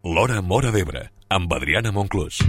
L'Hora Móra d'Ebre, amb Adriana Monclús.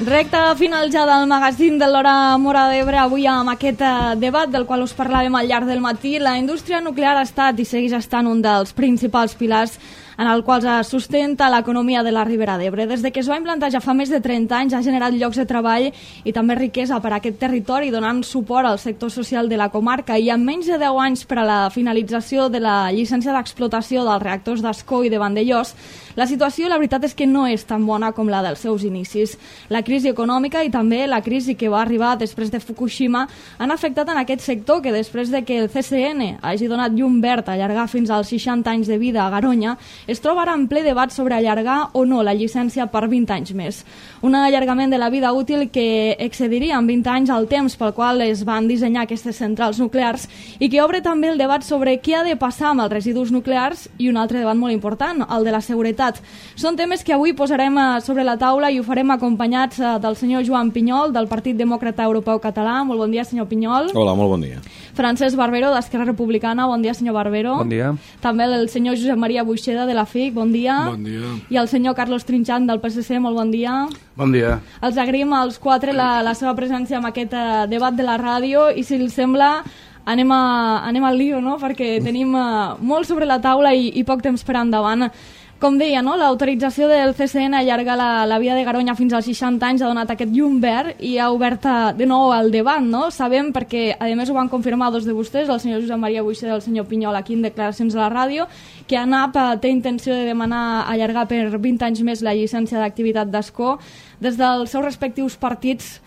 Recte final ja del magazín de l'Hora Móra d'Ebre, avui amb aquest debat del qual us parlàvem al llarg del matí. La indústria nuclear ha estat i segueix estant un dels principals pilars en el qual es sustenta l'economia de la Ribera d'Ebre. Des de que es va implantar ja fa més de 30 anys ha generat llocs de treball i també riquesa per a aquest territori, donant suport al sector social de la comarca, i amb menys de 10 anys per a la finalització de la llicència d'explotació dels reactors d'Ascó i de Vandellòs, la situació, la veritat, és que no és tan bona com la dels seus inicis. La crisi econòmica i també la crisi que va arribar després de Fukushima han afectat en aquest sector que, després de que el CCN hagi donat llum verd a allargar fins als 60 anys de vida a Garoña, es troba ara en ple debat sobre allargar o no la llicència per 20 anys més. Un allargament de la vida útil que excediria en 20 anys el temps pel qual es van dissenyar aquestes centrals nuclears i que obre també el debat sobre què ha de passar amb els residus nuclears i un altre debat molt important, el de la seguretat. Són temes que avui posarem sobre la taula i ho farem acompanyats del senyor Joan Pinyol, del Partit Demòcrata Europeu Català. Molt bon dia, senyor Pinyol. Hola, molt bon dia. Francesc Barbero, d'Esquerra Republicana. Bon dia, senyor Barbero. Bon dia. També el senyor Josep Maria Buixeda, de la FIC. Bon dia. Bon dia. I el senyor Carlos Trinxant, del PSC. Molt bon dia. Bon dia. Els agraïm als quatre la seva presència en aquest debat de la ràdio i, si els sembla, anem al lío, no? Perquè tenim molt sobre la taula i poc temps per endavant. Com deia, no? L'autorització del CCN a allargar la via de Garoña fins als 60 anys ha donat aquest llum verd i ha obert de nou el debat, no? Sabem, perquè a més ho van confirmar dos de vostès, el senyor Josep Maria Buixeda i el senyor Pinyol, aquí en declaracions a la ràdio, que ANAP té intenció de demanar allargar per 20 anys més la llicència d'activitat d'Ascó. Des dels seus respectius partits,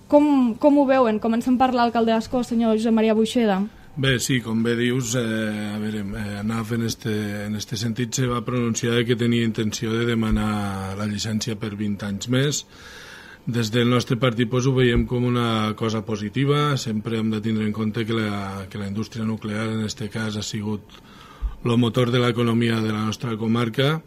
com ho veuen? Comencem per l'alcalde d'Ascó, senyor Josep Maria Buixeda. Bé, sí, com bé dius, ANAF en este sentit se va pronunciar que tenia intenció de demanar la llicència per 20 anys més. Des del nostre partit ho veiem com una cosa positiva. Sempre hem de tindre en compte que la indústria nuclear en aquest cas ha sigut el motor de l'economia de la nostra comarca.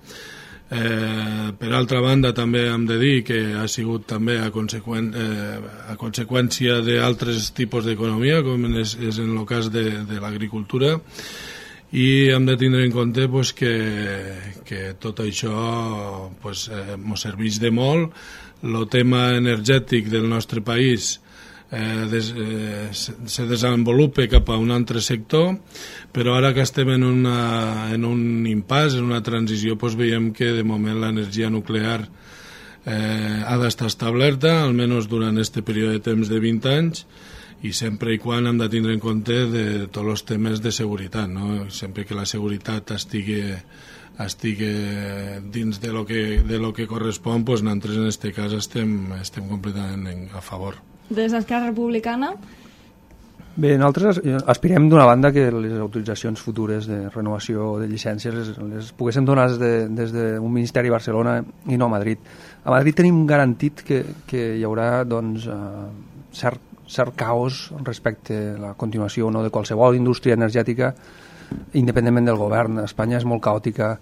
Per altra banda, també hem de dir que ha sigut també a conseqüència d'altres tipus d'economia, com és en el cas de l'agricultura, i hem de tindre en compte que tot això ens serveix de molt. El tema energètic del nostre país se desenvolupa cap a un altre sector, però ara que estem en un impàs, en una transició, veiem que de moment l'energia nuclear ha d'estar establerta, almenys durant aquest període de temps de 20 anys, i sempre i quan hem de tindre en compte de tots els temes de seguretat, no? Sempre que la seguretat estigui dins de lo que correspon, nosaltres en aquest cas estem completament a favor. Des d'Esquerra Republicana? Bé, nosaltres aspirem d'una banda que les autoritzacions futures de renovació de llicències les poguessin donar des d'un ministeri a Barcelona i no a Madrid. A Madrid tenim garantit que hi haurà cert caos respecte a la continuació o no de qualsevol indústria energètica, independentment del govern. Espanya és molt caòtica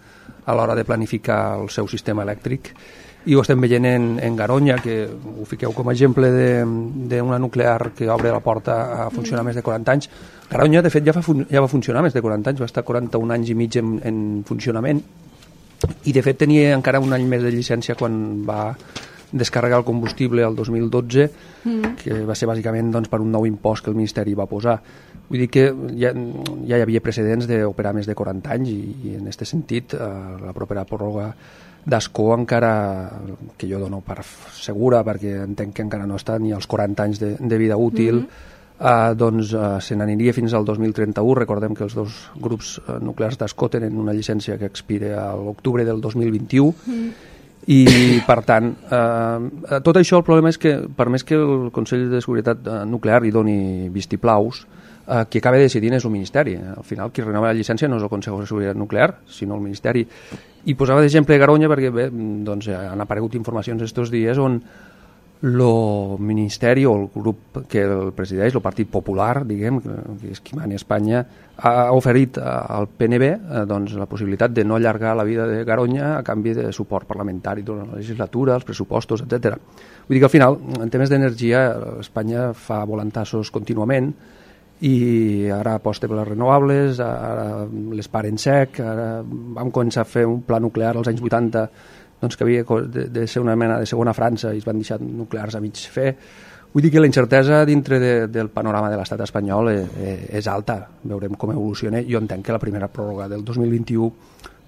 a l'hora de planificar el seu sistema elèctric, i ho estem veient en Garoña, que ho fiqueu com a exemple d'una nuclear que obre la porta a funcionar més de 40 anys. Garoña, de fet, ja va funcionar més de 40 anys, va estar 41 anys i mig en funcionament, i de fet tenia encara un any més de llicència quan va descarregar el combustible el 2012, que va ser bàsicament per un nou impost que el Ministeri va posar. Vull dir que ja hi havia precedents d'operar més de 40 anys, i en aquest sentit la propera pròrroga d'Ascó, encara que jo dono per segura, perquè entenc que encara no està ni als 40 anys de vida útil, se n'aniria fins al 2031. Recordem que els dos grups nuclears d'Ascó tenen una llicència que expira a l'octubre del 2021, i per tant tot això, el problema és que per més que el Consell de Seguretat Nuclear hi doni vistiplaus, qui acaba decidint és el Ministeri. Al final qui renova la llicència no és el Consell de Seguretat Nuclear, sinó el Ministeri. I posava d'exemple Garoña perquè han aparegut informacions estos dies on el ministeri o el grup que el presideix, el Partit Popular, diguem, que és qui mani a Espanya, ha oferit al PNB doncs, la possibilitat de no allargar la vida de Garoña a canvi de suport parlamentari durant la legislatura, els pressupostos, etc. Vull dir que al final, en temes d'energia, Espanya fa volantassos contínuament i ara aposta per les renovables, ara les para en sec, ara vam començar a fer un pla nuclear als anys 80 doncs que havia de ser una mena de segona França i es van deixar nuclears a mig fer. Vull dir que la incertesa dintre del panorama de l'estat espanyol és alta. Veurem com evoluciona. Jo entenc que la primera pròrroga del 2021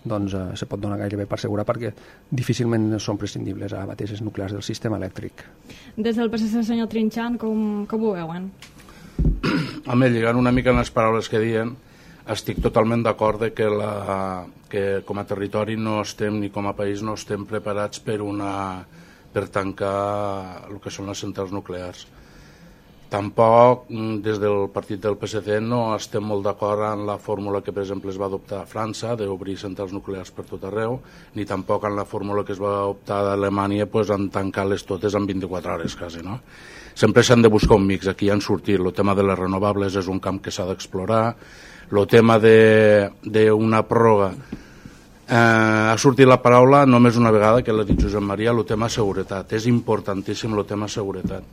doncs, se pot donar gairebé per segura perquè difícilment són prescindibles ara mateix els nuclears del sistema elèctric. Des del PSC, senyor Trinxant, com ho veuen? Home, lligant una mica en les paraules que diuen, estic totalment d'acord que com a territori no estem, ni com a país no estem preparats per tancar el que són les centrals nuclears. Tampoc des del partit del PSC no estem molt d'acord en la fórmula que per exemple es va adoptar a França d'obrir centrals nuclears per tot arreu, ni tampoc en la fórmula que es va optar a Alemanya en tancar-les totes en 24 hores quasi, no? Sempre s'han de buscar un mix, aquí han sortit el tema de les renovables, és un camp que s'ha d'explorar, el tema d'una pròrroga, ha sortit la paraula només una vegada, que l'ha dit Josep Maria, el tema seguretat, és importantíssim el tema seguretat.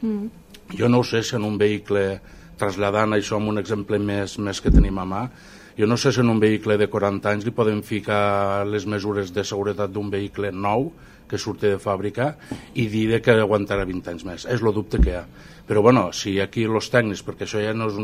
Jo no ho sé si en un vehicle, traslladant això amb un exemple més que tenim a mà, jo no sé si en un vehicle de 40 anys li podem ficar les mesures de seguretat d'un vehicle nou que surti de fàbrica i dir que aguantarà 20 anys més. És el dubte que hi ha. Però bueno, si aquí els tècnics, perquè això ja, no és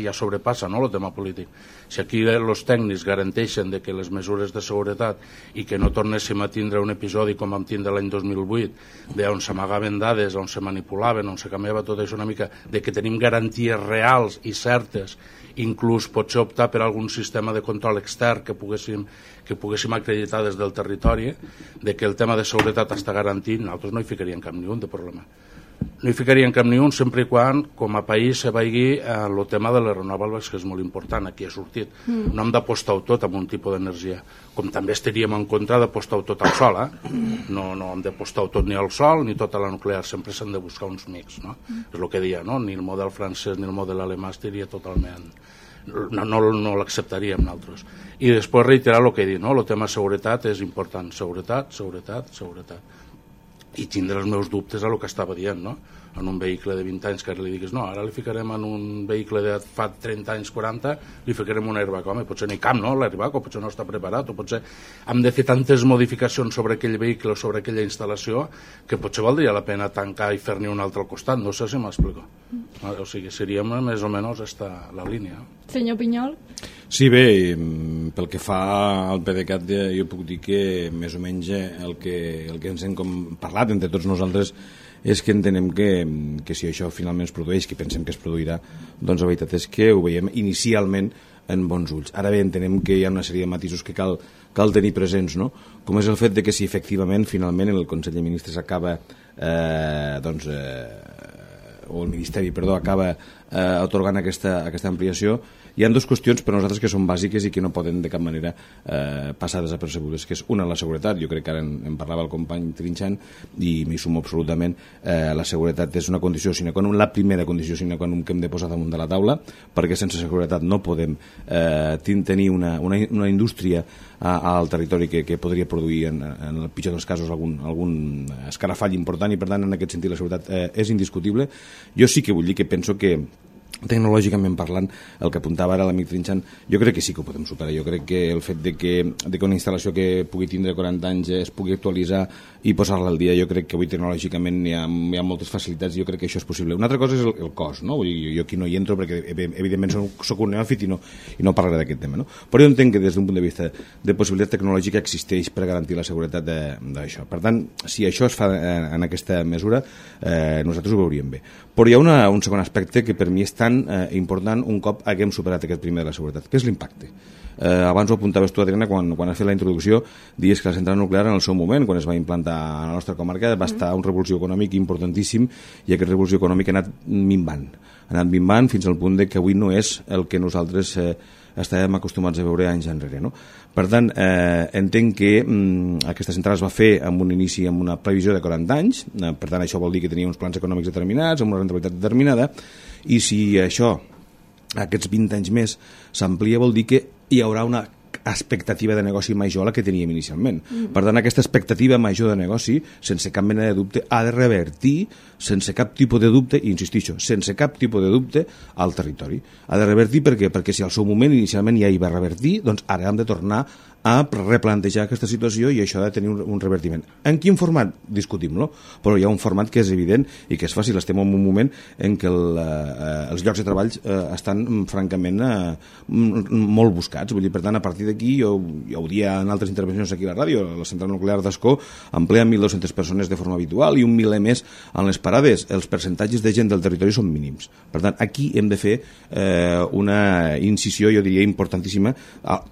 ja sobrepassa, no, el tema polític, si aquí els tècnics garanteixen que les mesures de seguretat i que no tornéssim a tindre un episodi com vam tindre l'any 2008, on s'amagaven dades, on se manipulaven, on se canviava tot això una mica, de que tenim garanties reals i certes, inclús potser optar per algun sistema de control extern que poguéssim acreditar des del territori, de que el tema de seguretat està garantit, nosaltres no hi ficaríem cap ni un de problema. No hi ficaríem cap ni un sempre i quan com a país se vagi el tema de les renovables, que és molt important, aquí ha sortit. No hem d'apostar-ho tot amb un tipus d'energia, com també estaríem en contra d'apostar-ho tot al sol, no hem d'apostar-ho tot ni al sol ni tot a la nuclear, sempre s'han de buscar uns mix, no? És el que deia, no? Ni el model francès ni el model alemà estaria totalment... no l'acceptaríem nosaltres. I després reiterar el que he dit, no? El tema seguretat és important, seguretat, i tindre els meus dubtes a el que estava dient, no? En un vehicle de 20 anys que ara li diguis no, ara li ficarem en un vehicle de fa 30 anys, 40, li ficarem un airbag, home, potser n'hi cap, no, l'airbag, o potser no està preparat, o potser hem de fer tantes modificacions sobre aquell vehicle o sobre aquella instal·lació que potser valdria la pena tancar i fer-n'hi un altre al costat, no sé si m'explico. O sigui, seria més o menys la línia. Senyor Pinyol? Sí, bé, pel que fa al PDeCAT jo puc dir que més o menys el que ens hem parlat entre tots nosaltres és que entenem que si això finalment es produeix, que pensem que es produirà, doncs la veritat és que ho veiem inicialment en bons ulls. Ara bé, entenem que hi ha una sèrie de matisos que cal tenir presents, no? Com és el fet de que si efectivament, finalment, el Consell de Ministres acaba, o el Ministeri, perdó, acaba atorgant aquesta ampliació, hi ha dues qüestions per a nosaltres que són bàsiques i que no poden de cap manera passar desapercebudes, que és una, la seguretat. Jo crec que ara en parlava el company Trinxant i m'hi sumo absolutament. La seguretat és una condició sine qua non, la primera condició sine qua non que hem de posar damunt de la taula, perquè sense seguretat no podem tenir una indústria al territori que podria produir en el pitjor dels casos algun escarafall important, i per tant en aquest sentit la seguretat és indiscutible. Jo sí que vull dir que penso que tecnològicament parlant, el que apuntava ara l'amic Trinxant, jo crec que sí que ho podem superar. Jo crec que el fet de que una instal·lació que pugui tindre 40 anys es pugui actualitzar i posar-la al dia, jo crec que avui tecnològicament hi ha moltes facilitats i jo crec que això és possible. Una altra cosa és el cost, no? Jo aquí no hi entro perquè evidentment soc un neòfit i no parlaré d'aquest tema, no? Però jo entenc que des d'un punt de vista de possibilitat tecnològica existeix per garantir la seguretat d'això. Per tant, si això es fa en aquesta mesura, nosaltres ho veuríem bé. Però hi ha un segon aspecte que per mi és tan important un cop haguem superat aquest primer de la seguretat, que és l'impacte. Abans ho apuntaves tu, Adriana, quan has fet la introducció, dius que la central nuclear en el seu moment, quan es va implantar a la nostra comarca, va estar un revulsió econòmic importantíssim i aquest revulsió econòmic ha anat minvant fins al punt de que avui no és el que nosaltres estàvem acostumats a veure anys enrere, no? Per tant, entenc que aquesta central es va fer amb un inici, amb una previsió de 40 anys, per tant això vol dir que tenia uns plans econòmics determinats, amb una rentabilitat determinada, i si això, aquests 20 anys més, s'amplia, vol dir que hi haurà una expectativa de negoci major a la que teníem inicialment. Per tant, aquesta expectativa major de negoci, sense cap mena de dubte, ha de revertir, sense cap tipus de dubte, i insistixo, sense cap tipus de dubte, al territori. Ha de revertir per què? Perquè si al seu moment inicialment ja hi va revertir, doncs ara hem de tornar a replantejar aquesta situació i això ha de tenir un revertiment. En quin format? Discutim-lo, però hi ha un format que és evident i que és fàcil. Estem en un moment en què els llocs de treball estan francament molt buscats. Vull dir, per tant, a partir d'aquí, jo ho dia en altres intervencions aquí a la ràdio, la central nuclear d'Ascó emplea 1.200 persones de forma habitual i 1.000 més en les parades. Els percentatges de gent del territori són mínims. Per tant, aquí hem de fer una incisió, jo diria, importantíssima,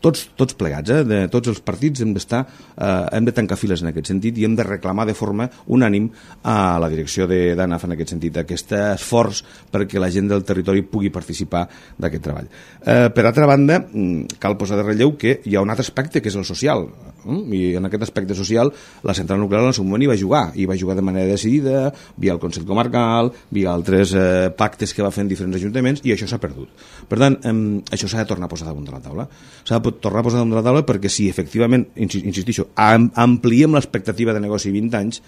tots plegats, tots els partits hem de tancar files en aquest sentit i hem de reclamar de forma unànim a la direcció d'ANAF en aquest sentit, aquest esforç perquè la gent del territori pugui participar d'aquest treball. Per altra banda, cal posar de relleu que hi ha un altre aspecte que és el social, i en aquest aspecte social la central nuclear en el seu moment hi va jugar de manera decidida, via el Consell Comarcal, via altres pactes que va fer en diferents ajuntaments, i això s'ha perdut. Per tant, això s'ha de tornar a posar damunt de la taula. S'ha de tornar a posar damunt de la taula perquè si efectivament, insistixo, ampliem l'expectativa de negoci 20 anys,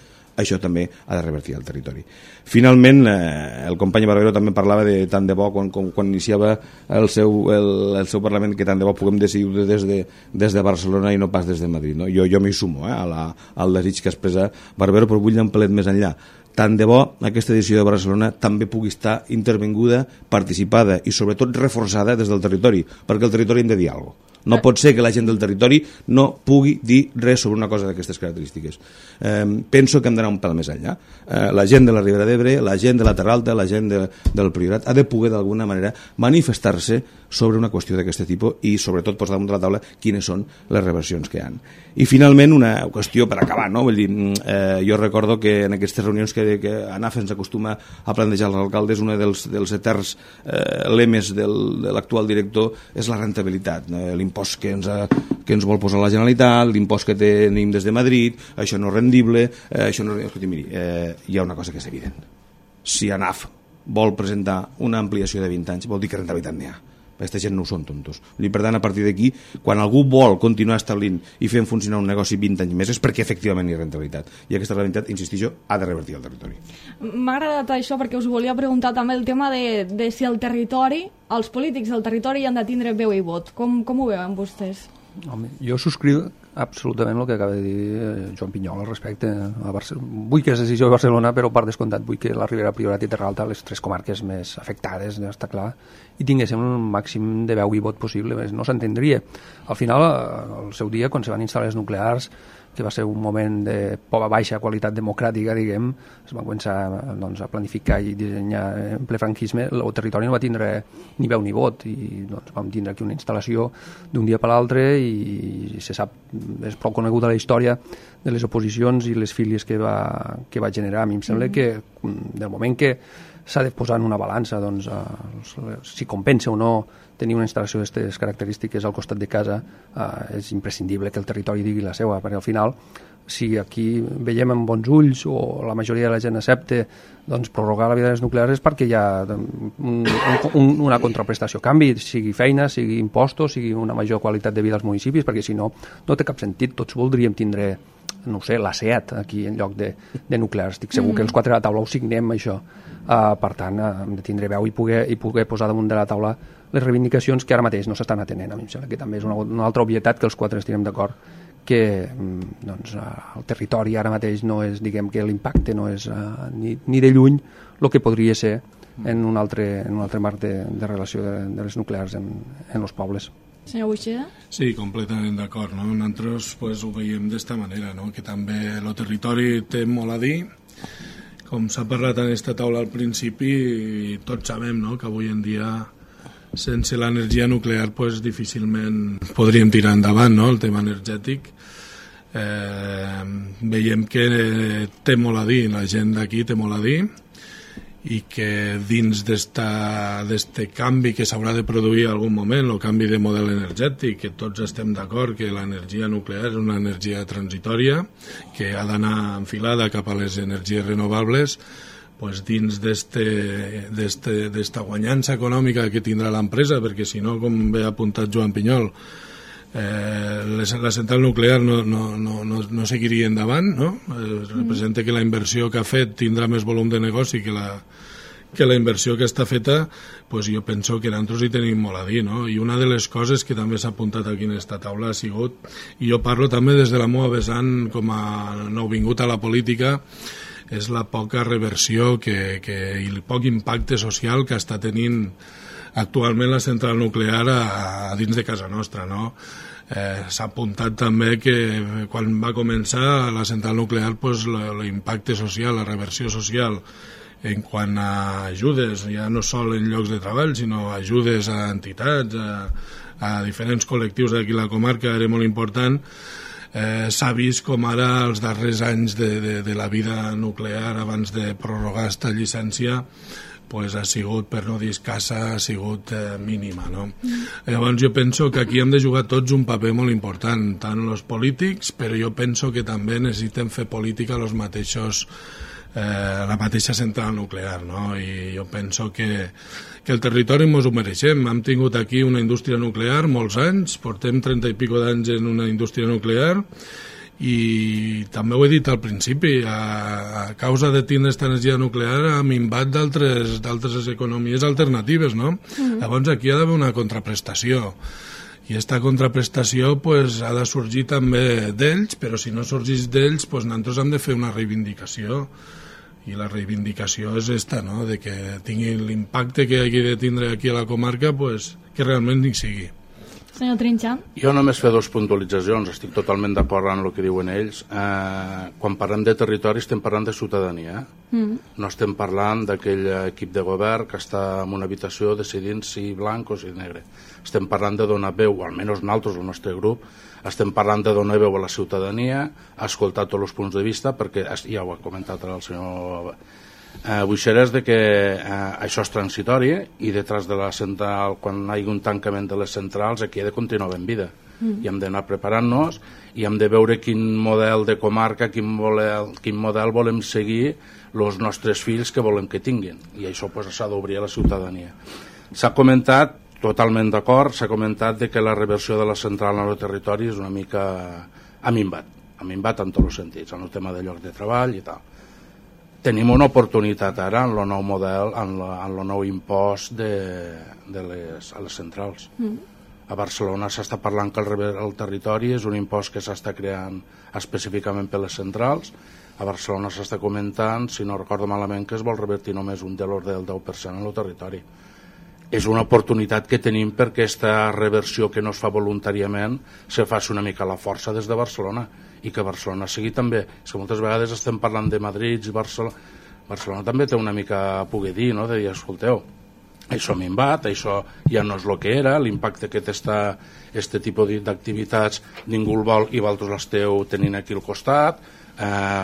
això també ha de revertir al territori. Finalment, el company Barbero també parlava de tant de bo quan iniciava el seu Parlament, que tant de bo puguem decidir des de Barcelona i no pas des de Madrid, no? Jo m'hi sumo al desig que expressa Barbero, però vull anar un pelet més enllà. Tant de bo aquesta edició de Barcelona també pugui estar intervinguda, participada i sobretot reforçada des del territori, perquè el territori hem de dir alguna cosa. No pot ser que la gent del territori no pugui dir res sobre una cosa d'aquestes característiques. Penso que hem d'anar un pèl més enllà. La gent de la Ribera d'Ebre, la gent de la Terra Alta, la gent del Priorat ha de poder d'alguna manera manifestar-se sobre una qüestió d'aquest tipus i sobretot posar damunt de la taula quines són les reversions que hi ha. I finalment una qüestió per acabar, no? Vull dir, jo recordo que en aquestes reunions que ANAF ens acostuma a plantejar als alcaldes, un dels eterns lemes de l'actual director és la rentabilitat, l'impost que ens vol posar la Generalitat, l'impost que tenim des de Madrid, això no és rendible, això no és... Escolti, miri, hi ha una cosa que és evident. Si ANAF vol presentar una ampliació de 20 anys, vol dir que rentabilitat n'hi ha. Aquesta gent no ho són tontos. I per tant, a partir d'aquí, quan algú vol continuar establint i fent funcionar un negoci 20 anys més és perquè efectivament hi ha rentabilitat. I aquesta rentabilitat, insistixo, ha de revertir al territori. M'ha agradat això perquè us volia preguntar també el tema de si el territori, els polítics del territori han de tindre veu i vot. Com ho veuen vostès? Home, jo subscriu absolutament el que acaba de dir Joan Pinyol al respecte. Vull que és decisió de Barcelona, però per descomptat vull que la Ribera, Priorat i Terra Alta, les tres comarques més afectades, està clar, i tinguéssim un màxim de veu i vot possible, no s'entendria. Al final, al seu dia, quan se van instal·lar les nuclears, que va ser un moment de baixa qualitat democràtica, diguem, es va començar a planificar i dissenyar en ple franquisme, el territori no va tindre ni veu ni vot, i vam tindre aquí una instal·lació d'un dia per l'altre, i se sap, és prou coneguda la història de les oposicions i les fílies que va generar. A mi em sembla que del moment que s'ha de posar en una balança si compensa o no tenir una instal·lació d'aquestes característiques al costat de casa, és imprescindible que el territori digui la seva, perquè al final, si aquí veiem amb bons ulls o la majoria de la gent accepta prorrogar la vida de les nuclears és perquè hi ha una contraprestació a canvi, sigui feina, sigui impostos, sigui una major qualitat de vida als municipis, perquè si no, no té cap sentit. Tots voldríem tindre, no sé, la SEAT aquí en lloc de nuclears. Estic segur que els quatre de la taula ho signem, això. Per tant, hem de tindre veu i poder posar damunt de la taula les reivindicacions que ara mateix no s'estan atenent. A mi em sembla que també és una altra obvietat que els quatre estirem d'acord que el territori ara mateix no és, diguem que l'impacte no és ni de lluny el que podria ser en un altre marc de relació de les nuclears en els pobles. Senyor Buixeda? Sí, completament d'acord. No? Nosaltres ho veiem d'esta manera, no? Que també el territori té molt a dir. Com s'ha parlat en aquesta taula al principi, tots sabem, no? Que avui en dia sense l'energia nuclear difícilment podríem tirar endavant, no? El tema energètic. Veiem que té molt a dir, la gent d'aquí té molt a dir, i que dins d'este canvi que s'haurà de produir en algun moment, el canvi de model energètic, que tots estem d'acord que l'energia nuclear és una energia transitòria, que ha d'anar enfilada cap a les energies renovables, pues dins d'esta guanyança econòmica que tindrà l'empresa, perquè si no, com bé ha apuntat Joan Pinyol, la central nuclear no seguiria endavant, no? Representa que la inversió que ha fet tindrà més volum de negoci que la inversió que està feta, pues jo penso que nosaltres hi tenim molt a dir, no? I una de les coses que també s'ha apuntat aquí en esta taula ha sigut, i jo parlo també des de la meva vessant com a nouvingut a la política, és la poca reversió i el poc impacte social que està tenint actualment la central nuclear a dins de casa nostra, no? S'ha apuntat també que quan va començar la central nuclear, pues, l'impacte social, la reversió social en quant a ajudes, ja no sol en llocs de treball, sinó ajudes a entitats, a diferents col·lectius d'aquí a la comarca, era molt important. S'ha vist com ara els darrers anys de la vida nuclear abans de prorrogar esta llicència pues ha sigut, per no dir escassa, ha sigut mínima, no? Llavors jo penso que aquí hem de jugar tots un paper molt important, tant els polítics, però jo penso que també necessitem fer política els mateixos, la mateixa central nuclear, no? I jo penso que el territori ens ho mereixem. Hem tingut aquí una indústria nuclear molts anys, portem 30 i pico d'anys en una indústria nuclear, i també ho he dit al principi, a causa de tindre aquesta energia nuclear ha minvat d'altres economies alternatives, no? Llavors aquí ha d'haver una contraprestació, i aquesta contraprestació pues, ha de sorgir també d'ells, però si no sorgís d'ells pues, nosaltres hem de fer una reivindicació, i la reivindicació és esta, no? De que tingui l'impacte que hagi de tindre aquí a la comarca, pues, que realment hi sigui. Senyor Trinxant. Jo només fer dues puntualitzacions, estic totalment d'acord amb el que diuen ells. Quan parlem de territori estem parlant de ciutadania, no estem parlant d'aquell equip de govern que està en una habitació decidint si blanc o si negre. Estem parlant de donar veu, o almenys nosaltres, el nostre grup, estem parlant de donar veu a la ciutadania, escoltar tots els punts de vista, perquè ja ho ha comentat el senyor Buixeres, de que això és transitori i detrás de la central, quan hi hagi un tancament de les centrals, aquí ha de continuar ben vida i hem d'anar preparant-nos i hem de veure quin model de comarca, quin model volem seguir els nostres fills que volem que tinguin, i això s'ha d'obrir a la ciutadania. S'ha comentat, totalment d'acord, s'ha comentat de que la reversió de la central en el territori és una mica ha minvat en tots els sentits, en el tema de llocs de treball i tal. Tenim una oportunitat ara en el nou model, en el nou impost a les centrals. A Barcelona s'està parlant que el territori és un impost que s'està creant específicament per les centrals. A Barcelona s'està comentant, si no recordo malament, que es vol revertir només un de l'ordre del 10% en el territori. És una oportunitat que tenim perquè aquesta reversió que no es fa voluntàriament se faci una mica a la força des de Barcelona, i que Barcelona sigui també, és que moltes vegades estem parlant de Madrid i Barcelona també té una mica a poder dir, no? De dir, escolteu, això minvat, això ja no és el que era, l'impacte que té aquest tipus d'activitats ningú el vol i vosaltres l'esteu tenint aquí al costat,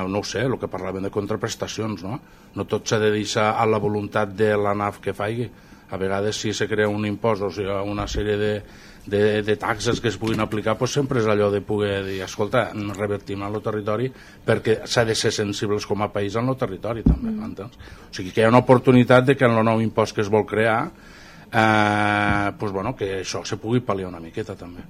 no ho sé, el que parlàvem de contraprestacions, no tot s'ha de deixar a la voluntat de l'ANAF que faci. A vegades si se crea un impost o sigui, una sèrie de taxes que es puguin aplicar, doncs sempre és allò de poder dir, escolta, revertim en el territori, perquè s'ha de ser sensibles com a país en el territori també, entens? O sigui que hi ha una oportunitat de que en el nou impost que es vol crear que això se pugui pal·liar una miqueta també.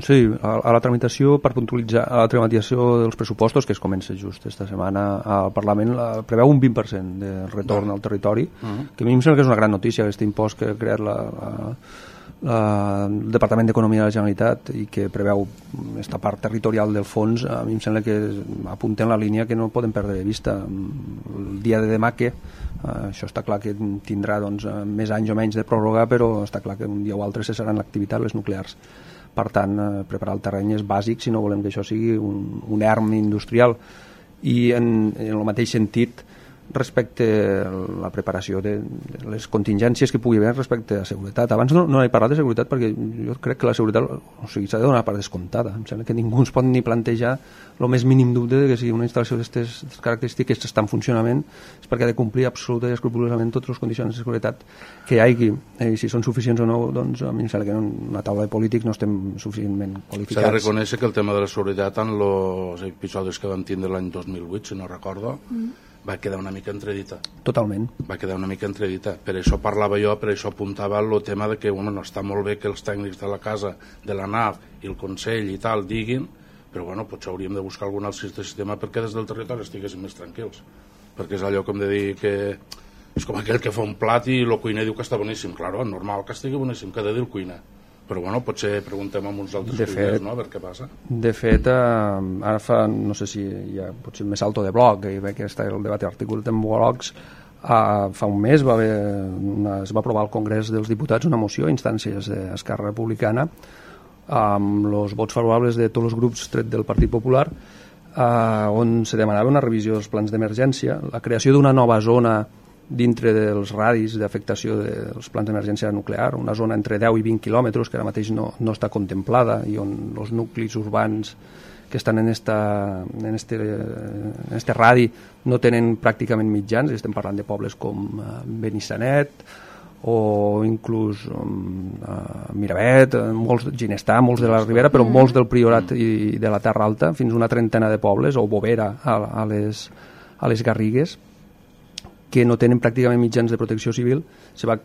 Sí, a la tramitació, per puntualitzar, a la tramitació dels pressupostos, que es comença just esta setmana al Parlament, preveu un 20% de retorn al territori, que a mi em sembla que és una gran notícia, aquest impost que ha creat el Departament d'Economia de la Generalitat i que preveu aquesta part territorial del fons. A mi em sembla que apunta en la línia que no podem perdre de vista. El dia de demà que això està clar que tindrà més anys o menys de pròrroga, però està clar que un dia o altre cessaran l'activitat les nuclears. Per tant, preparar el terreny és bàsic si no volem que això sigui un erm industrial. I en el mateix sentit, respecte a la preparació de les contingències que pugui haver respecte a seguretat. Abans no he parlat de seguretat perquè jo crec que la seguretat s'ha de donar per descomptada. Em sembla que ningú es pot ni plantejar el més mínim dubte de que si una instal·lació d'aquestes característiques està en funcionament és perquè ha de complir absolutament i escrupolosament totes les condicions de seguretat que hi hagi. I si són suficients o no, doncs a mi em sembla que en una taula de polítics no estem suficientment qualificats. S'ha de reconèixer que el tema de la seguretat en els episodis que vam tindre l'any 2008, si no recordo, va quedar una mica entredita. Totalment. Va quedar una mica entredita. Per això parlava jo, per això apuntava el tema de que bueno, està molt bé que els tècnics de la casa, de la NAF i el Consell i tal diguin, però bueno, potser hauríem de buscar algun altre sistema perquè des del territori estiguéssim més tranquils. Perquè és allò com de dir que és com aquell que fa un plat i el cuiner diu que està boníssim. Claro, normal que estigui boníssim, que ha de dir el cuiner. Però bueno, potser preguntem amb uns altres cuiners, no? A veure què passa. De fet, ara fa, no sé si hi ha potser més salto de bloc, i veig que està el debat articulat en blocs, fa un mes es va aprovar al Congrés dels Diputats una moció a instàncies d'Esquerra Republicana amb els vots favorables de tots els grups tret del Partit Popular, on se demanava una revisió dels plans d'emergència, la creació d'una nova zona dintre dels radis d'afectació dels plans d'emergència nuclear, una zona entre 10 i 20 quilòmetres que ara mateix no està contemplada i on els nuclis urbans que estan en este radi no tenen pràcticament mitjans, estem parlant de pobles com Benissanet o inclús Miravet, Ginestar, molts de la Ribera, però molts del Priorat i de la Terra Alta, fins una trentena de pobles, o Bovera a les Garrigues, que no tenen pràcticament mitjans de protecció civil. Se va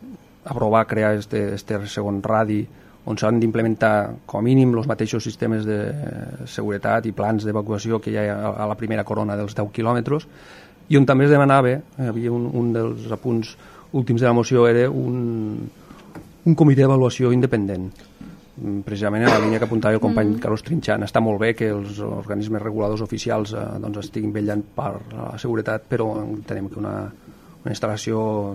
aprovar crear este segon radi on s'han d'implementar com a mínim els mateixos sistemes de seguretat i plans d'evacuació que hi ha a la primera corona dels 10 quilòmetres, i on també es demanava, havia un dels apunts últims de la moció, era un comitè d'avaluació independent, precisament en la línia que apuntava el company Carlos Trinxant. Està molt bé que els organismes reguladors oficials estiguin vetllant per la seguretat, però entenem que una instal·lació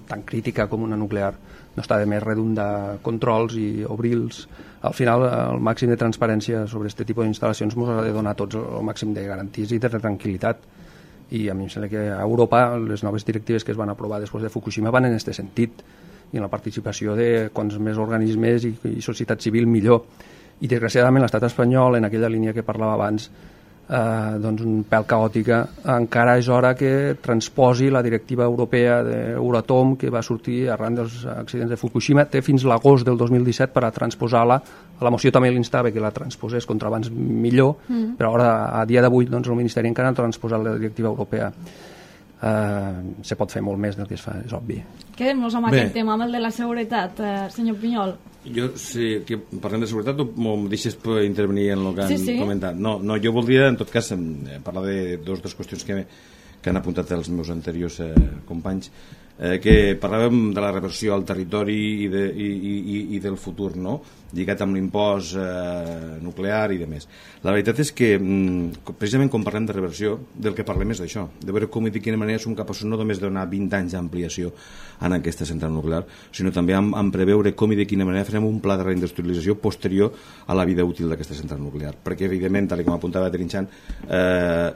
tan crítica com una nuclear no està de més redundar controls i obrir-los. Al final, el màxim de transparència sobre aquest tipus d'instal·lacions ens ha de donar tots el màxim de garanties i de tranquil·litat. I a mi em sembla que a Europa les noves directives que es van aprovar després de Fukushima van en aquest sentit, i en la participació de quants més organismes i societat civil millor. I desgraciadament l'estat espanyol, en aquella línia que parlava abans, doncs un pèl caòtica, encara és hora que transposi la directiva europea d'Euratom que va sortir arran dels accidents de Fukushima. Té fins l'agost del 2017 per a transposar-la. A la moció també l'instava que la transposés contra abans millor, però ara, a dia d'avui, doncs, el Ministeri encara no ha transposat la directiva europea. Se pot fer molt més del que es fa, és obvi. Quedem-nos amb aquest tema, amb el de la seguretat, senyor Pinyol. Jo, si parlem de seguretat, em deixes intervenir en el que han comentat. No, jo voldria, en tot cas, parlar de dues qüestions que han apuntat els meus anteriors companys, que parlàvem de la reversió al territori i del futur, no? Lligat amb l'impost nuclear i demés. La veritat és que, precisament quan parlem de reversió, del que parlem és d'això, de veure com i de quina manera som capaços no només de donar 20 anys d'ampliació en aquesta central nuclear, sinó també en preveure com i de quina manera farem un pla de reindustrialització posterior a la vida útil d'aquesta central nuclear. Perquè, evidentment, tal com apuntava Trinxant,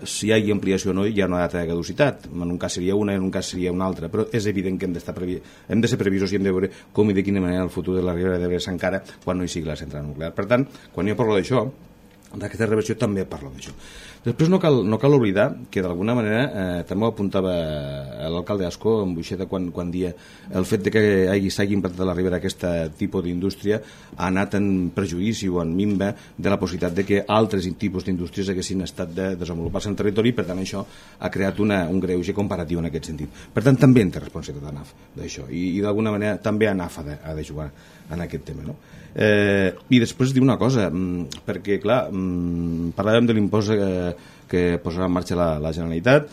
si hi ha ampliació o no, hi ha una data de caducitat. En un cas seria una, en un cas seria una altra, però és evident que hem de ser previsos i hem de veure com i de quina manera el futur de la Ribera d'Ebre s'encara quan no hi sigui la central nuclear. Per tant, quan jo parlo d'això, d'aquesta reversió també parlo d'això. Després no cal oblidar que d'alguna manera també ho apuntava l'alcalde Ascó en Buixeda quan dia el fet de que s'hagi implantat a la Ribera aquest tipus d'indústria ha anat en perjudici o en minva de la possibilitat de que altres tipus d'indústries haguessin estat de desenvolupar-se en territori, i per tant això ha creat un greuge comparatiu en aquest sentit. Per tant també en té responsabilitat ANAF d'això, i d'alguna manera també ANAF ha de jugar en aquest tema, no? I després dir una cosa, perquè clar, parlàvem de l'impost que posarà en marxa la Generalitat,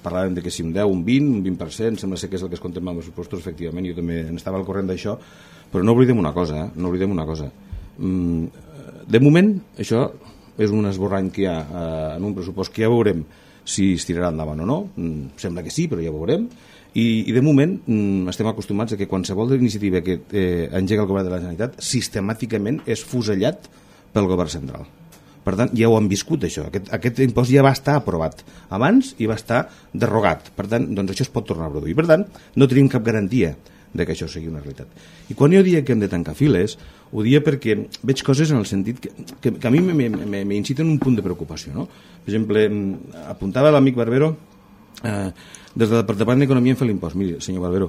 parlàvem de que si un 10, un 20, un 20%, sembla ser que és el que es contempla amb els pressupostos, efectivament, jo també estava al corrent d'això, però no oblidem una cosa, de moment això és un esborrany que hi ha en un pressupost que ja veurem si es tirarà endavant o no, sembla que sí, però ja veurem. I de moment estem acostumats a que qualsevol iniciativa que engega el govern de la Generalitat sistemàticament és fusellat pel govern central. Per Per tant, ja ho han viscut, això. Aquest impost ja va estar aprovat abans i va estar derrogat. Per tant, doncs això es pot tornar a produir. Per tant, no tenim cap garantia de que això sigui una realitat. I quan jo dia que hem de tancar files, ho dia perquè veig coses en el sentit que a mi m'inciten un punt de preocupació. No? Per exemple, apuntava l'amic Barbero, des del Departament d'Economia en fer l'impost. Miri, senyor Barbero,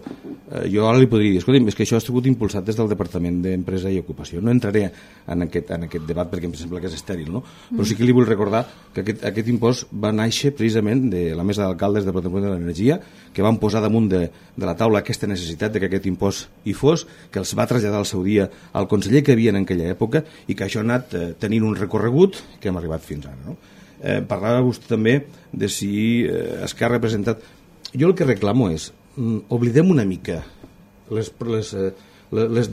jo ara li podria dir, escolta, és que això ha estat impulsat des del Departament d'Empresa i Ocupació. No entraré en aquest debat perquè em sembla que és estèril, no? Però sí que li vull recordar que aquest impost va néixer precisament de la mesa d'alcaldes del Departament de l'Energia, que van posar damunt de la taula aquesta necessitat de que aquest impost hi fos, que els va traslladar al seu dia al conseller que hi havia en aquella època i que això ha anat tenint un recorregut que hem arribat fins ara, no? Parlava vostè també de si Esquerra ha representat. Jo el que reclamo és oblidem una mica les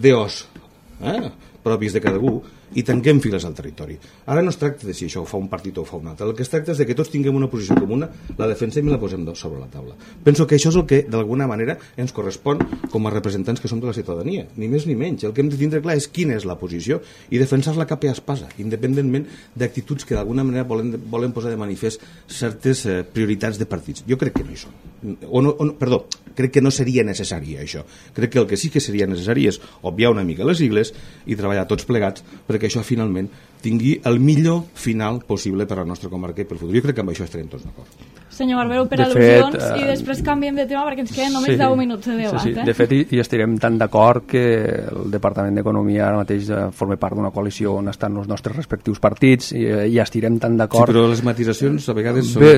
DOs propis de cada algú i tanquem files al territori. Ara no es tracta de si això ho fa un partit o ho fa un altre. El que es tracta és de que tots tinguem una posició comuna, la defensem i la posem sobre la taula. Penso que això és el que d'alguna manera ens correspon com a representants que som de la ciutadania, ni més ni menys. El que hem de tindre clar és quina és la posició i defensar-la cap a espasa, independentment d'actituds que d'alguna manera volen posar de manifest certes prioritats de partits. Jo crec que no hi són. Perdó, crec que no seria necessari això. Crec que el que sí que seria necessari és obviar una mica les sigles i treballar tots plegats perquè això finalment tingui el millor final possible per a la nostra comarca i pel futur. Jo crec que amb això estarem tots d'acord. Senyor Barbero, per al·lusions, i després canviem de tema perquè ens queden només 10 minuts de debat. Sí. De fet, hi estarem tan d'acord que el Departament d'Economia ara mateix forma part d'una coalició on estan els nostres respectius partits i ja estarem tan d'acord. Sí, però les matisacions a vegades són... Bé,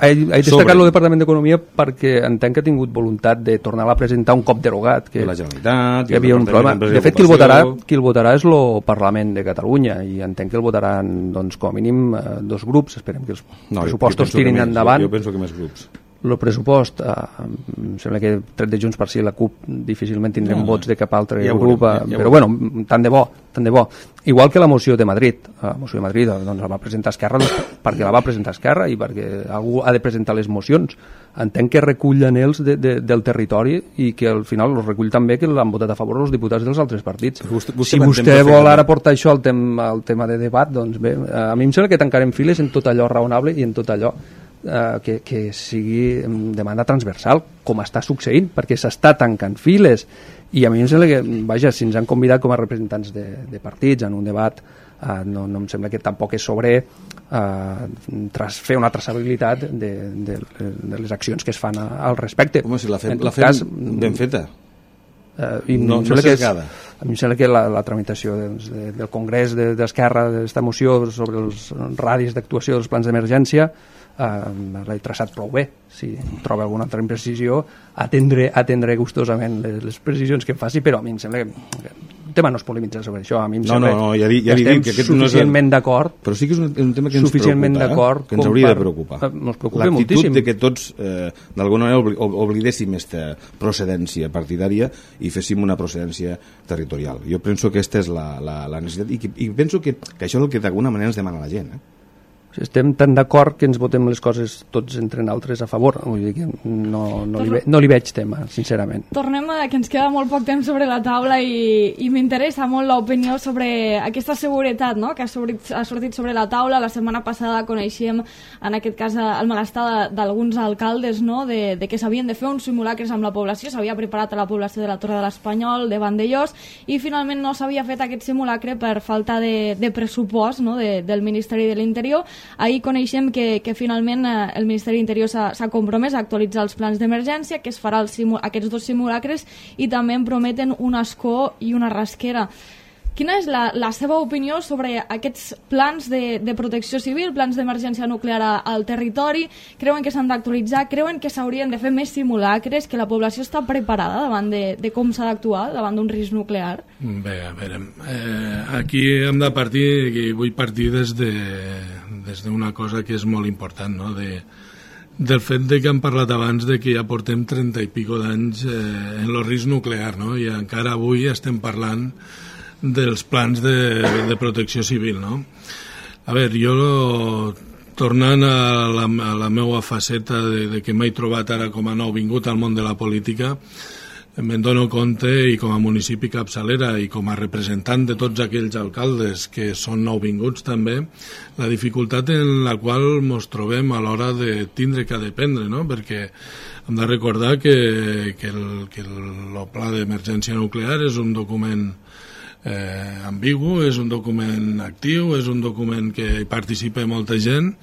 he destacat el Departament d'Economia perquè entenc que ha tingut voluntat de tornar-la a presentar un cop derogat. Que la Generalitat... Hi havia un problema. De fet, qui el votarà és el Parlament de Catalunya i entenc que el votaran, doncs, com a mínim dos grups. Esperem que els pressupostos tirin endavant. Jo penso que més grups. El pressupost, em sembla que tret de Junts per Si la CUP difícilment tindrem vots de cap altre grup, però bueno, tant de bo. Igual que la moció de Madrid. La moció de Madrid doncs, la va presentar Esquerra perquè la va presentar Esquerra i perquè algú ha de presentar les mocions. Entenc que recull anhels del territori i que al final els recull també que l'han votat a favor els diputats dels altres partits. Si vostè vol ara portar això al tema de debat, doncs bé, a mi em sembla que tancarem files en tot allò raonable i en tot allò que sigui de manera transversal, com està succeint, perquè s'està tancant files i a mi em sembla que, vaja, si ens han convidat com a representants de partits en un debat, no em sembla que tampoc és sobre fer una traçabilitat de les accions que es fan al respecte. Home, si la fem ben feta. No sesgada. A mi em sembla que la tramitació del Congrés d'Esquerra d'aquesta moció sobre els radis d'actuació dels plans d'emergència l'he traçat prou bé. Si troba alguna altra imprecisió, atendre gustosament les precisions que em faci, però a mi em sembla que el tema no es polemitza sobre això. A mi em sembla que estem suficientment d'acord. Però sí que és un tema que ens preocupa, que ens hauria de preocupar. L'actitud de que tots d'alguna manera oblidéssim aquesta procedència partidària i féssim una procedència territorial. Jo penso que aquesta és la necessitat i penso que això és el que d'alguna manera ens demana la gent. Estem tan d'acord que ens votem les coses tots entre nosaltres a favor. Vull dir que no li veig tema, sincerament. Tornem a que ens queda molt poc temps sobre la taula i m'interessa molt l'opinió sobre aquesta seguretat, no?, que ha sortit sobre la taula. La setmana passada coneixíem, en aquest cas, el malestar d'alguns alcaldes, no?, de que s'havien de fer uns simulacres amb la població. S'havia preparat a la població de la Torre de l'Espanyol, de Vandellós, i finalment no s'havia fet aquest simulacre per falta de pressupost, no?, del Ministeri de l'Interior. Ahir coneixem que finalment el Ministeri de l'Interior s'ha compromès a actualitzar els plans d'emergència, que es farà aquests dos simulacres, i també en prometen un escó i una rasquera. Quina és la seva opinió sobre aquests plans de protecció civil, plans d'emergència nuclear al territori? Creuen que s'han d'actualitzar? Creuen que s'haurien de fer més simulacres? Que la població està preparada davant de com s'ha d'actuar davant d'un risc nuclear? Bé, a veure, aquí hem de partir, i vull partir des d'una cosa que és molt important, no?, del fet de que hem parlat abans de que ja portem 30 i pico d'anys en el risc nuclear, no?, i encara avui estem parlant dels plans de protecció civil, no? A veure, jo, tornant a la meva faceta de que m'he trobat ara com a nou vingut al món de la política, me'n dono compte, i com a municipi capçalera i com a representant de tots aquells alcaldes que són nouvinguts també, la dificultat en la qual ens trobem a l'hora de tindre que dependre, no? Perquè hem de recordar que el pla d'emergència nuclear és un document ambigu, és un document actiu, és un document que hi participa molta gent,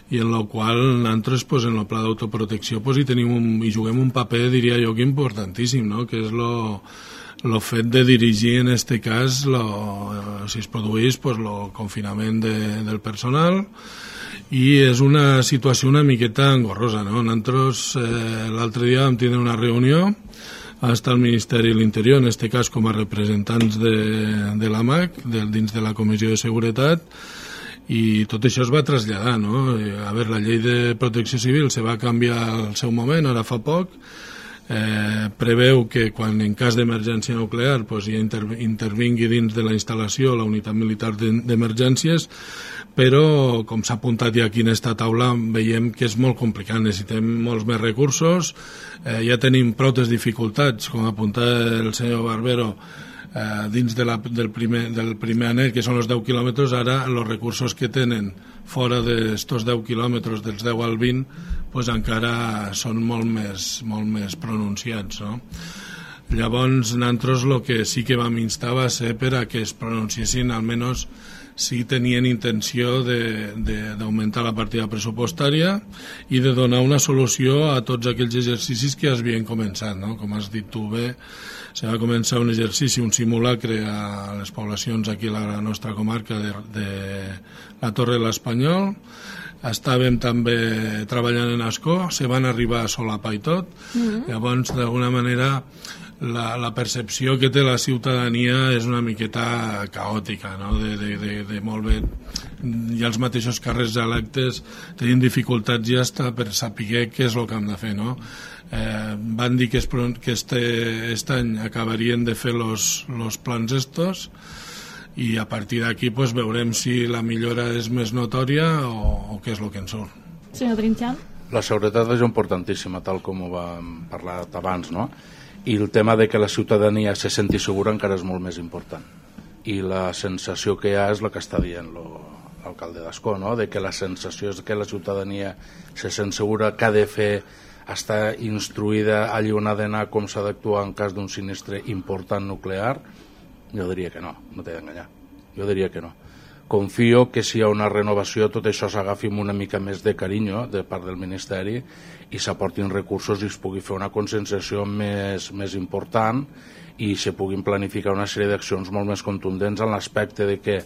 i en el qual nosaltres en el pla d'autoprotecció hi juguem un paper, diria jo, que importantíssim, no? Que és el fet de dirigir en aquest cas, si es produeix, el confinament del personal, i és una situació una miqueta engorrosa, no? Nosaltres l'altre dia vam tenir una reunió, va estar el Ministeri de l'Interior, en aquest cas com a representants de l'AMAC, dins de la Comissió de Seguretat, i tot això es va traslladar, no? A veure, la llei de protecció civil se va canviar al seu moment, ara fa poc, preveu que quan en cas d'emergència nuclear ja intervingui dins de la instal·lació la unitat militar d'emergències, però com s'ha apuntat ja aquí en aquesta taula veiem que és molt complicat, necessitem molts més recursos, ja tenim prou dificultats, com apunta el senyor Barbero, dins del primer anell, que són els 10 quilòmetres, ara els recursos que tenen fora d'estos 10 quilòmetres, dels 10 al 20, encara són molt més pronunciats, no? Llavors, nosaltres el que sí que vam instar va ser per a que es pronunciessin, almenys si tenien intenció d'augmentar la partida pressupostària i de donar una solució a tots aquells exercicis que es havien començat, no? Com has dit tu bé, se va començar un exercici, un simulacre a les poblacions aquí a la nostra comarca de la Torre de l'Espanyol. Estàvem també treballant en Ascó, se van arribar a solapar i tot. Llavors, d'alguna manera, la percepció que té la ciutadania és una miqueta caòtica, no? De molt bé, i els mateixos càrrecs electes tenien dificultats ja per saber què és el que hem de fer, no? Van dir que aquest any acabarien de fer los plans estos, i a partir d'aquí veurem si la millora és més notòria o què és el que en surt. Senyor Trinxant? La seguretat és importantíssima, tal com ho vam parlar abans, no? I el tema de que la ciutadania se senti segura encara és molt més important. I la sensació que hi ha és el que està dient l'alcalde d'Ascó, no? De que la sensació és que la ciutadania se sent segura, que ha de fer, està instruïda allà on ha d'anar, com s'ha d'actuar en cas d'un sinistre important nuclear. Jo diria que no, no t'he d'enganyar. Jo diria que no. Confio que si hi ha una renovació tot això s'agafi amb una mica més de carinyo de part del Ministeri i s'aportin recursos i es pugui fer una conscienciació més important i se puguin planificar una sèrie d'accions molt més contundents en l'aspecte de que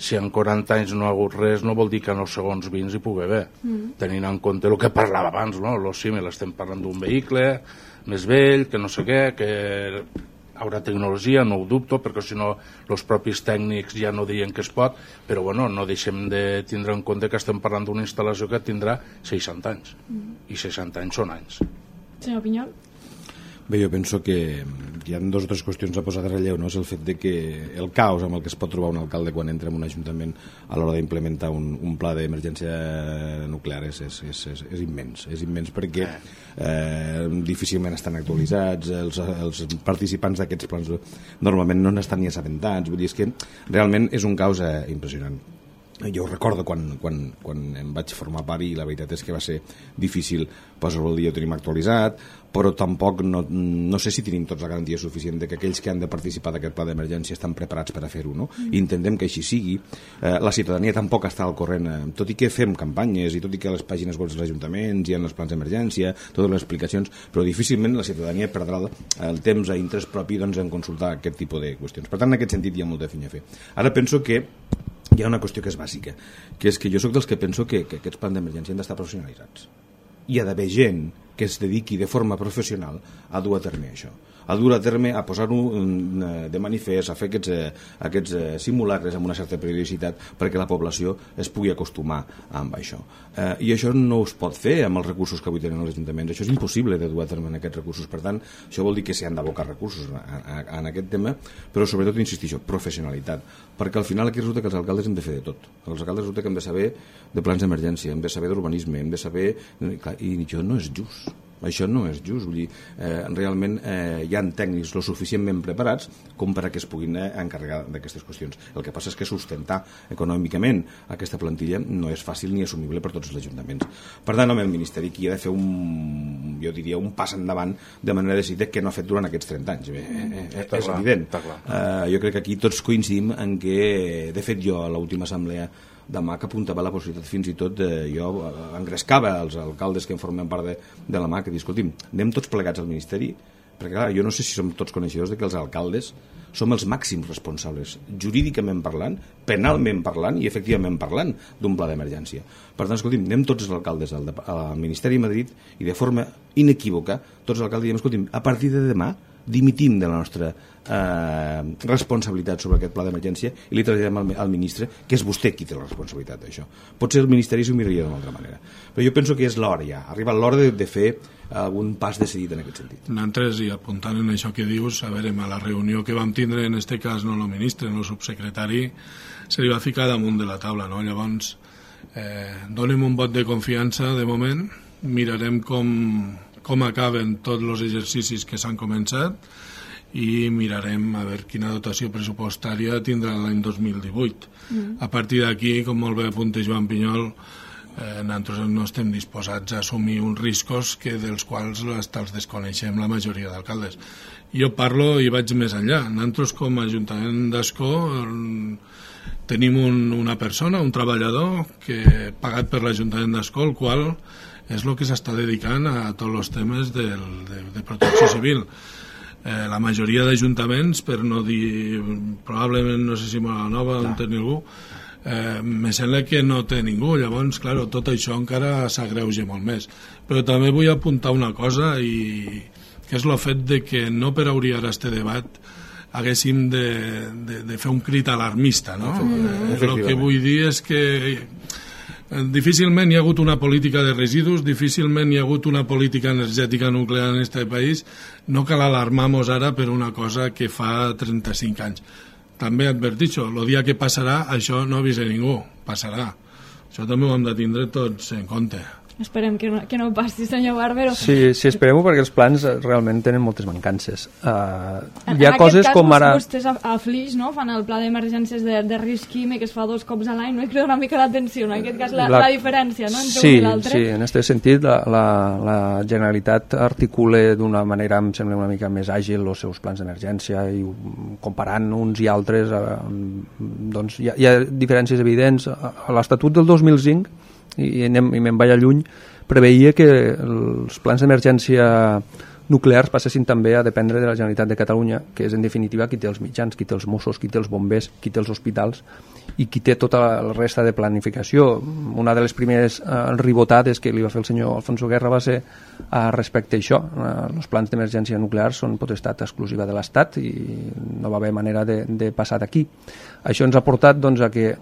si en 40 anys no ha hagut res no vol dir que en els segons 20 hi pugui haver, tenint en compte el que parlava abans, no? Lo símil, estem parlant d'un vehicle més vell, que no sé què, que haurà tecnologia, no ho dubto, perquè si no els propis tècnics ja no dirien que es pot, però bueno, no deixem de tindre en compte que estem parlant d'una instal·lació que tindrà 60 anys, i 60 anys són anys. Senyor Pinyol? Bé, jo penso que hi ha dues o tres qüestions a posar de relleu, no? És el fet de que el caos amb el que es pot trobar un alcalde quan entra en un ajuntament a l'hora d'implementar un pla d'emergència nuclear és immens. És immens perquè difícilment estan actualitzats, els participants d'aquests plans normalment no n'estan ni assabentats, vull dir, és que realment és un caos impressionant. Jo recordo quan em vaig formar part i la veritat és que va ser difícil posar-ho al dia, ho tenim actualitzat, però tampoc no sé si tenim tots la garantia suficient de que aquells que han de participar d'aquest pla d'emergència estan preparats per a fer-ho, no? I intentem que així sigui. La ciutadania tampoc està al corrent, tot i que fem campanyes i tot i que a les pàgines web dels ajuntaments hi ha els plans d'emergència, totes les explicacions, però difícilment la ciutadania perdrà el temps a interès propi en consultar aquest tipus de qüestions. Per tant, en aquest sentit hi ha molta feina a fer. Ara penso que hi ha una qüestió que és bàsica, que és que jo sóc dels que penso que aquests plans d'emergència han d'estar professionalitzats. Hi ha d'haver gent que es dediqui de forma professional a dur a terme això, a dur a terme, a posar-ho de manifest, a fer aquests simulacres amb una certa periodicitat perquè la població es pugui acostumar amb això. I això no es pot fer amb els recursos que avui tenen els ajuntaments. Això és impossible de dur a terme en aquests recursos. Per tant, això vol dir que s'hi han d'abocar recursos en aquest tema, però sobretot, insistixo, professionalitat. Perquè al final aquí resulta que els alcaldes hem de fer de tot. Els alcaldes resulta que hem de saber de plans d'emergència, hem de saber d'urbanisme, hem de saber... I això no és just. Això no és just. Vull dir, realment hi ha tècnics lo suficientment preparats com per a que es puguin encarregar d'aquestes qüestions. El que passa és que sustentar econòmicament aquesta plantilla no és fàcil ni assumible per tots els ajuntaments. Per tant, el Ministeri aquí ha de fer jo diria un pas endavant de manera decidida que no ha fet durant aquests 30 anys. És evident. Jo crec que aquí tots coincidim en que, de fet, jo a l'última assemblea demà que apuntava la possibilitat fins i tot jo engrescava els alcaldes que en formen part de la mà, que dic, escolti'm, anem tots plegats al Ministeri, perquè clar, jo no sé si som tots coneixedors de que els alcaldes som els màxims responsables, jurídicament parlant, penalment parlant i efectivament parlant d'un pla d'emergència. Per tant, escolti'm, anem tots els alcaldes al Ministeri de Madrid i de forma inequívoca tots els alcaldes diem, escolti'm, a partir de demà dimitim de la nostra responsabilitat sobre aquest pla d'emergència i li traslladem al ministre, que és vostè qui té la responsabilitat d'això. Potser el Ministeri s'ho miraria d'una altra manera. Però jo penso que és l'hora ja, ha arribat l'hora de fer algun pas decidit en aquest sentit. Nosaltres, i apuntant en això que dius, a veure, a la reunió que vam tindre, en aquest cas no el ministre, no el subsecretari, se li va ficar damunt de la taula, no? Llavors, donem un vot de confiança de moment, mirarem com acaben tots els exercicis que s'han començat i mirarem a veure quina dotació pressupostària tindrà l'any 2018. A partir d'aquí, com molt bé apunta Joan Pinyol, nosaltres no estem disposats a assumir uns riscos dels quals els desconeixem la majoria d'alcaldes. Jo parlo i vaig més enllà. Nosaltres com a Ajuntament d'Ascó tenim una persona, un treballador pagat per l'Ajuntament d'Ascó, el qual és el que s'està dedicant a tots els temes de protecció civil. La majoria d'ajuntaments, per no dir, probablement, no sé si Mora Nova on té ningú, me sembla que no té ningú. Llavors, clar, tot això encara s'agreuja molt més. Però també vull apuntar una cosa, que és el fet de que no per obrir ara este debat haguéssim de fer un crit alarmista, no? El que vull dir és que difícilment hi ha hagut una política de residus, difícilment hi ha hagut una política energètica nuclear en aquest país. No cal alarmar-nos ara per una cosa que fa 35 anys. També advertixo, el dia que passarà, això no avisa ningú, passarà. Això també ho hem de tindre tots en compte. Esperem que no passi, senyor Barbero. Sí, esperem-ho, perquè els plans realment tenen moltes mancances. Hi ha coses cas, com ara... Vostès a Flix, no?, fan el pla d'emergències de risc químic que es fa 2 cops a l'any, no? I crida una mica l'atenció, en aquest cas, la diferència, no?, entre un i l'altre. Sí, en aquest sentit, la Generalitat articula d'una manera, em sembla, una mica més àgil els seus plans d'emergència i comparant uns i altres, doncs hi ha diferències evidents. A l'Estatut del 2005, i me'n vaig a lluny, preveia que els plans d'emergència nuclears passessin també a dependre de la Generalitat de Catalunya, que és en definitiva qui té els mitjans, qui té els Mossos, qui té els bombers, qui té els hospitals i qui té tota la resta de planificació. Una de les primeres ribotades que li va fer el senyor Alfonso Guerra va ser respecte a això. Els plans d'emergència nuclear són potestat exclusiva de l'Estat i no va haver manera de passar d'aquí. Això ens ha portat doncs, a que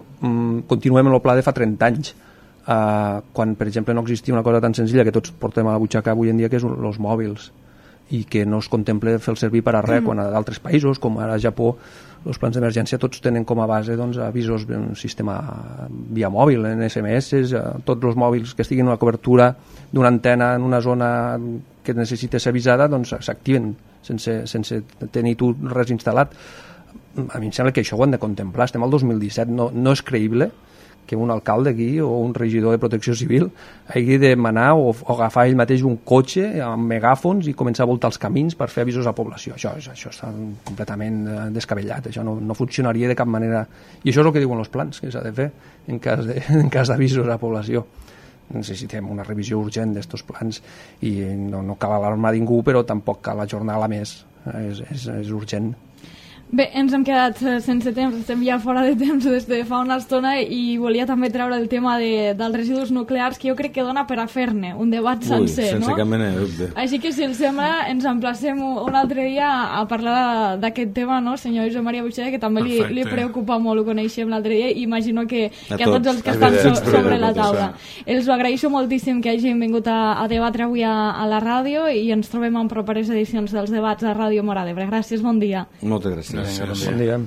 continuem en el pla de fa 30 anys, quan per exemple no existia una cosa tan senzilla que tots portem a la butxaca avui en dia, que és els mòbils, i que no es contempla fer el servir per a res, quan a d'altres països com ara a Japó els plans d'emergència tots tenen com a base doncs, avisos en sistema via mòbil, en SMS, tots els mòbils que estiguin en una cobertura d'una antena en una zona que necessita ser avisada doncs s'activen sense tenir tu res instal·lat. A mi em sembla que això ho hem de contemplar. Estem al 2017, no és creïble que un alcalde aquí o un regidor de protecció civil hagi de manar o agafar ell mateix un cotxe amb megàfons i començar a voltar els camins per fer avisos a població. Això està completament descabellat, això no funcionaria de cap manera. I això és el que diuen els plans que s'ha de fer en cas d'avisos a població. Necessitem una revisió urgent d'estos plans i no cal alarmar ningú, però tampoc cal ajornar-la més, és urgent. Bé, ens hem quedat sense temps, estem ja fora de temps des de fa una estona i volia també treure el tema dels residus nuclears, que jo crec que dona per a fer-ne un debat sencer, no? Sense cap mena de dubte. Així que, si els sembla, ens emplacem un altre dia a parlar d'aquest tema, no, senyor Josep Maria Buixeda, que també li preocupa molt, ho coneixem l'altre dia, i imagino que a tots els que estan sobre la taula. Els ho agraeixo moltíssim que hagin vingut a debatre avui a la ràdio i ens trobem en properes edicions dels debats a Ràdio Móra d'Ebre. Gràcies, bon dia. Moltes gràcies. Bon dia.